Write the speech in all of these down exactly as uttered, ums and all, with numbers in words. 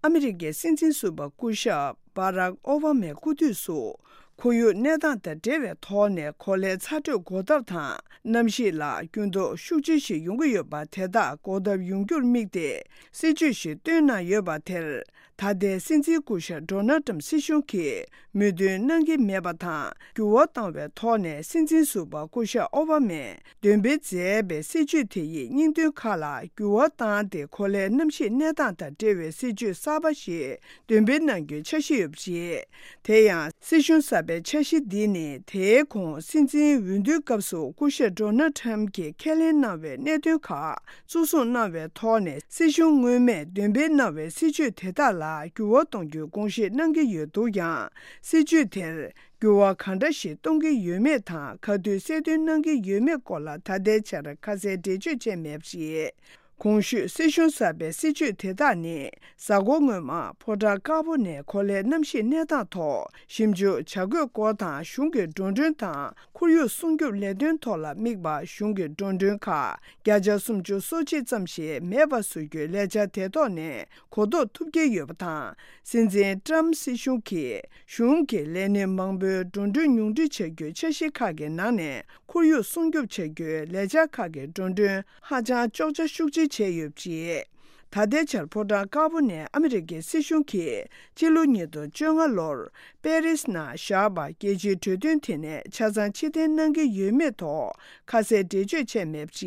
ཨ་མི་རི་ཀའི་སྲིད་འཛིན་ཟུར་པ་སྐུ་ཞབས་བྷ་རག་ཨོ་བྷ་མའི་སྐུ་དུས་སུ། ཁོར་ཡུག་གནས་སྟངས་དང་འབྲེལ་བའི་ཐོག་ནས་གོ་ལའི་ཚ་དྲོད་འགོག་ཐབས་དང་གནམ་གཤིས་ལ་འགྱུར་ལྡོག་ཤུགས་ཆེ་ཞིག་ཡོང་གི་ཡོད་པ་དེ་དག་འགོག་ཐབས་ཡོང་རྒྱུར་དམིགས་ཏེ་སྲིད་ཇུས་ཤིག་བཏོན་གནང་ཡོད་པ་དེར། ད་ལྟའི་སྲིད་འཛིན་སྐུ་ཞབས་ཌོ་ནལ་ཏྲམ་སྲིད་གཞུང་གིས་མོས་མཐུན་གནང་གི་མེད་པ་དང་། འགྱུར་བ་བཏང་བའི་ཐོག་ནས་སྲིད་འཛིན་ཟུར་པ་སྐུ་ཞབས་ཨོ་བྷ་མས་འདོན་སྤེལ་མཛད་པའི་སྲིད་ཇུས་དེ་ཡི་སྙིང་དོན་ཁག་ལ་འགྱུར་བ་བཏང་སྟེ། གོ་ལའི་གནམ་གཤིས་གནས་སྟངས་དང་འབྲེལ་བའི་སྲིད་ཇུས་གསར་པ་ཞིག་འདོན་སྤེལ་གནང་རྒྱུའི་འཆར་གཞི་ཡོད་པ་རེད། དེ་ཡང་སྲིད་གཞུང་གསར་པའི་འཆར་གཞི་འདི་ནི་དེའི་གོང་སྲིད་འཛིན་འོས་བསྡུའི་སྐབས་སུ་སྐུ་ཞབས་ཌོ་ནལ་ཊམ་གྱིས་ཁས་ལེན་གནང་བའི་གནད་དོན་ཁག་གཙོ་བཟུང་གནང་བའི་ཐོག་ནས། སྲིད་གཞུང་སྔོན་མས་འདོན་སྤེལ་གནང་བའི་སྲིད་ཇུས་དེ་དག་ལ་འགྱུར་བ་གཏོང་རྒྱུའི་དགོངས་བཞེས་གནང་གི་ཡོད་འདུག་ཀྱང་། སྲིད་ཇུས་དེར་འགྱུར་བ་གང་འདྲ་ཞིག་གཏོང་གི་ཡོད་མེད་དང་། ག་དུས་གསལ་སྟོན་གནང་གི་ཡོད་མེད་སྐོར་ལ་ད་ལྟའི་ཆར་ཁ་གསལ་འགྲེལ་བརྗོད་བྱས་མེད་པ་རེད། གོང་ཞུས་སྲིད་གཞུང་གསར་པའི་སྲིད་ཇུས་དེ་དག་ནི། གཟའ་འཁོར་སྔོན་མ་ཕོ་བྲང་དཀར་པོ་ནས་གོ་ལའི་གནམ་གཤིས་གནས་སྟངས་ཐོག་ཞིབ་འཇུག་བྱ་དགོས་སྐོར་དང་། གཞུང་གི་འགྲོ་གྲོན་དང་ཁོར་ཡུག་སྲུང་སྐྱོབ་ལས་དོན་ཐོག་ལ་དམིགས་པ། གཞུང་གི་འགྲོ་གྲོན་ཁག་བརྒྱ་ཆ་སུམ་ཅུ་སོ་གཅིག་ཙམ་ཞིག་མེད་པ་བཟོ་རྒྱུའི་ལས་འཆར་དེ་ཐོག་ནས་གོ་རྟོགས་ཐུབ་ཀྱི་ཡོད་པ་དང་། སྲིད་འཛིན་ཏྲམ་སྲིད་གཞུང་གིས་གཞུང་གི་ལས་སྣེ་མང་པོའི་འགྲོ་གྲོན་ཉུང་འཕྲི་བྱ་རྒྱུའི་འཆར་གཞི་ཁག་གི་ནང་ནས། ཁོར་ཡུག་སྲུང་སྐྱོབ་བྱ་རྒྱུའི་ལས་འཆར་ཁག་གི་འགྲོ་གྲོན་ཧ་ཅང་གཅོག་ཆ་ཤུགས་ཆེ་བྱས་ཡོད་པ་རེད། ད་ལྟའི་ཆར་ཕོ་བྲང་དཀར་པོ་ནས་ཨ་མི་རི་ཀའི་སྲིད་གཞུང་གིས་སྤྱི་ལོ་ཉིས་སྟོང་བཅོ་ལྔ་ལོར་པེ་རིས་ནང་བཞག་པ་རྒྱལ་སྤྱིའི་གྲོས་མཐུན་དེ་ནས་ཆ་ཚང་ཕྱིར་འཐེན་གནང་གི་ཡོད་མེད་ཐོག་ཁ་གསལ་འགྲེལ་བརྗོད་བྱས་མེད་པ་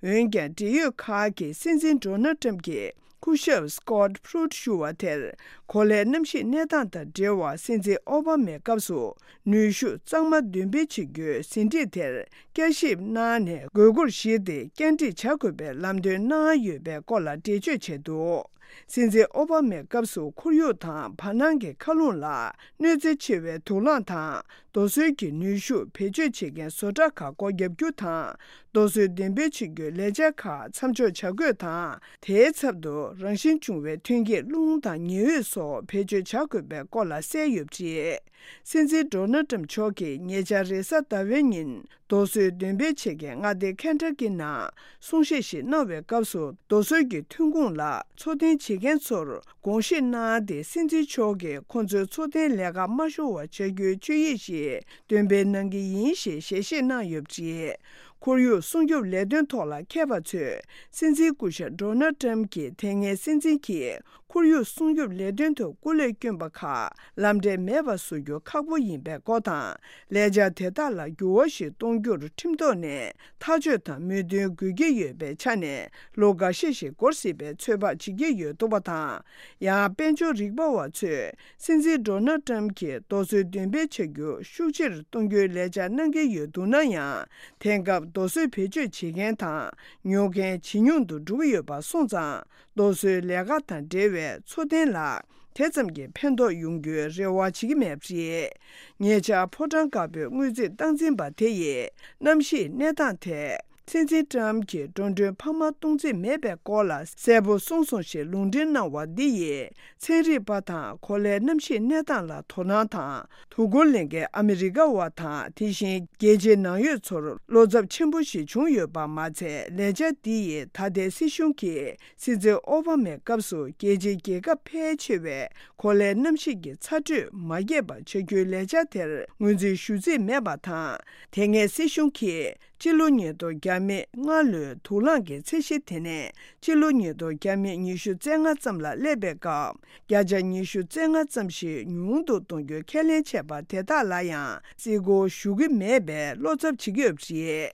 རེད། འོན་ཀྱང་འབྲེལ་ཡོད་ཁག་གིས་སྲིད་འཛིན་ཌོ་ནལ་ཏྲམ་གྱིས། སྐུ་ཞབས་སི་ཀོཊ་ཕུ་རུ་ཊ་ཞུ་བ་དེར། གོ་ལའི་གནམ་གཤིས་གནས་སྟངས་དང་འབྲེལ་བར་སྲིད་འཛིན་ཨོ་བྷ་མའི་སྐབས་སུ་ནུས་ཤུགས་གཙང་མ་འདོན་སྤེལ་བྱེད་རྒྱུའི་ཟིན་བྲིས་དེར་བསྐྱར་ཞིབ་གནང་ནས། དགོས་མཁོར་གཞིགས་ཏེ་བསྐྱར་སྒྲིག་བྱ་དགོས་པའི་ལམ་སྟོན་གནང་ཡོད་པའི་སྐོར་ལ་འགྲེལ་བརྗོད་བྱས་འདུག་སྲིད་འཛིན་ཨོ་བྷ་མའི་སྐབས་སུ་ཁོར་ཡུག་དང་བར་སྣང་གི་མཁའ་རླུང་ལ་གནོད་འཚེ་ཆེ་བའི་དུག་རླངས་དང་། རྡོ་སོལ་གྱི་ནུས་ཤུགས་བེད་སྤྱོད་བྱེད་མཁན་བཟོ་གྲྭ་ཁག་སྒོ་བརྒྱབ་རྒྱུ་དང་། རྡོ་སོལ་འདོན་སྤེལ་བྱེད་རྒྱུའི་ལས་འཆར་ཁག་མཚམས་འཇོག་བྱ་དགོས་དང་། དེའི་ཚབ་ཏུ་རང་བཞིན་བྱུང་བའི་ཐོན་སྐྱེད་རླུང་དང་ཉི་འོད་སོགས་བེད་སྤྱོད་བྱ་དགོས་པའི་སྐོར་ལ་གསལ་ཡོད་པ་རེད། སྲིད་འཛིན་ཌོ་ནལ་ཏྲམ་མཆོག་གིས་ཉེ་ཆར་རེས་གཟའ་ཟླ་བའི་ཉིན་རྡོ་སོལ་འདོན་སྤེལ་བྱེད་མཁན་མངའ་སྡེ་ཁེན་ཊ་ཀི་ནང་གསུང་བཤད་ཞིག་གནང་བའི་སྐབས་སུ། རྡོ་སོལ་གྱི་ཐོན་ཁུངས་ལ་འཚོ་རྟེན་བྱེད་མཁན་ཚོར་དགོངས་བཞེས་གནང་སྟེ། སྲིད་འཛིན་མཆོག་གིས་ཁོང་ཚོའི་འཚོ་རྟེན་ལས་ཀ་མ་ཤོར་བ་བྱ་རྒྱུའི་ཆོད་ཡིག་ཞིག་འདོན་སྤེལ་གནང་གི་ཡིན་ཞེས་ཞལ་བཞེས་གནང་ཡོད་པ་རེད། ཁོར་ཡུག་སྲུང་སྐྱོབ་ལས་དོན་ཐོག་ལ་མཁས་པ་ཚོས། སྲིད་འཛིན་སྐུ་ཞབས་ཌོ་ནལ་ཏྲམ་གྱིས་དེ་སྔའི་སྲིད་འཛིན་གྱིས་ཁོར་ཡུག་སྲུང་སྐྱོབ་ལས་དོན་དུ་སྐུ་ལས་བསྐྱོན་པ་ཁག་ལམ་འབྲས་མེད་པ་བཟོ་རྒྱུ་ཁག་པོ་ཡིན་པའི་སྐོར་དང་། ལས་འཆར་དེ་དག་ལ་འགྱུར་བ་ཞིག་གཏོང་རྒྱུར་ཁྲིམས་ཐོག་ནས་ཐག་གཅོད་དང་མོས་མཐུན་དགོས་ཀྱི་ཡོད་པའི་ཆ་ནས། ལོ་འགའ་ཤས་ཤིག་འགོར་སྲིད་པའི་ཚོད་དཔག་བྱེད་ཀྱི་ཡོད་འདུག་པ་དང་། ཡང་དཔལ་འབྱོར་རིག་པ་བ་ཚོས། སྲིད་འཛིན་ཌོ་ནལ་ཏྲམ་གྱིས་རྡོ་སོལ་འདོན་སྤེལ་བྱ་རྒྱུ་ཤུགས་ཆེར་གཏོང་རྒྱུའི་ལས་འཆར་གནང་གི་ཡོད་འདུག་ན་ཡང་། དེང་སྐབས་རྡོ་སོལ་བེད་སྤྱོད་བྱེད་མཁན་དང་ཉོ་མཁན་ཇེ་ཉུང་དུ་འགྲོ་གི་ཡོད་པ་སོང་ཙང་། རྡོ་སོལ་ལས་ཀ་དང་འབྲེལ་བའི་འཚོ་རྟེན་ལ་དེ་ཙམ་གྱི་ཕན་ཐོགས་ཡོང་རྒྱུའི་རེ་བ་བྱེད་ཀྱི་མེད་པ་རེད། ཉེ་ཆར་ཕོ་བྲང་དཀར་པོའི་དངུལ་རྩིས་སྟངས་འཛིན་པ་དེ་ཡིས་གནམ་གཤིས་གནས་སྟངས་ཐད། སྲིད་འཛིན་ཏྲམ་གྱིས་འགྲོ་གྲོན་འཕར་མ་གཏོང་རྩིས་མེད་པའི་སྐོར་ལ་གསལ་པོ་གསུངས་སོང་ཞེས་ལུང་འདྲེན་གནང་བ་འདི་ཡིས། ཚན་རིག་པ་དང་གོ་ལའི་གནམ་གཤིས་གནས་སྟངས་ལ་དོ་སྣང་དང་། དོ་ཁུར་ལེན་མཁན་ཨ་མི་རི་ཀ་བ་དང་། དེ་བཞིན་རྒྱལ་སྤྱིའི་ནང་ཡོད་ཚོར་བློ་འཚབ་ཆེན་པོ་ཞིག་བྱུང་ཡོད་པ་མ་ཚད། ལས་འཆར་འདི་ཡིས་ད་ལྟའི་སྲིད་གཞུང་གིས་སྲིད་འཛིན་ཨོ་བྷ་མའི་སྐབས་སུ་རྒྱལ་སྤྱིའི་རྒྱལ་ཁབ་ཕལ་ཆེ་བས་གོ་ལའི་གནམ་གཤིས་ཀྱི་ཚ་དྲོད་མ་རྒྱས་པ་བྱ་རྒྱུའི་ལས་འཆར་དེར་ངོས་འཛིན་ཞུ་རྩིས་མེད་པ་དང་། དེ་སྔའི་སྲིད་གཞུང་གིས་སྤྱི་ལོ་ཉིས་སྟོང་བརྒྱ་མེད་ལྔ་ལོའི་དུག་རླངས་ཀྱི་ཚད་གཞི་དེ་ནས་སྤྱི་ལོ་ཉིས་སྟོང་བརྒྱ་མེད་ཉི་ཤུ་རྩ་ལྔ་ཙམ་ལ་སླེབས་པའི་སྐབས། བརྒྱ་ཆ་ཉི་ཤུ་རྩ་ལྔ་ཙམ་ཞིག་ཉུང་དུ་གཏོང་རྒྱུའི་ཁས་ལེན་བྱས་པ་དེ་དག་ལ་ཡང་བརྩི་བཀུར་ཞུ་གི་མེད་པའི་བློ་འཚབ་བྱེད་ཀྱི་ཡོད་པ་རེད།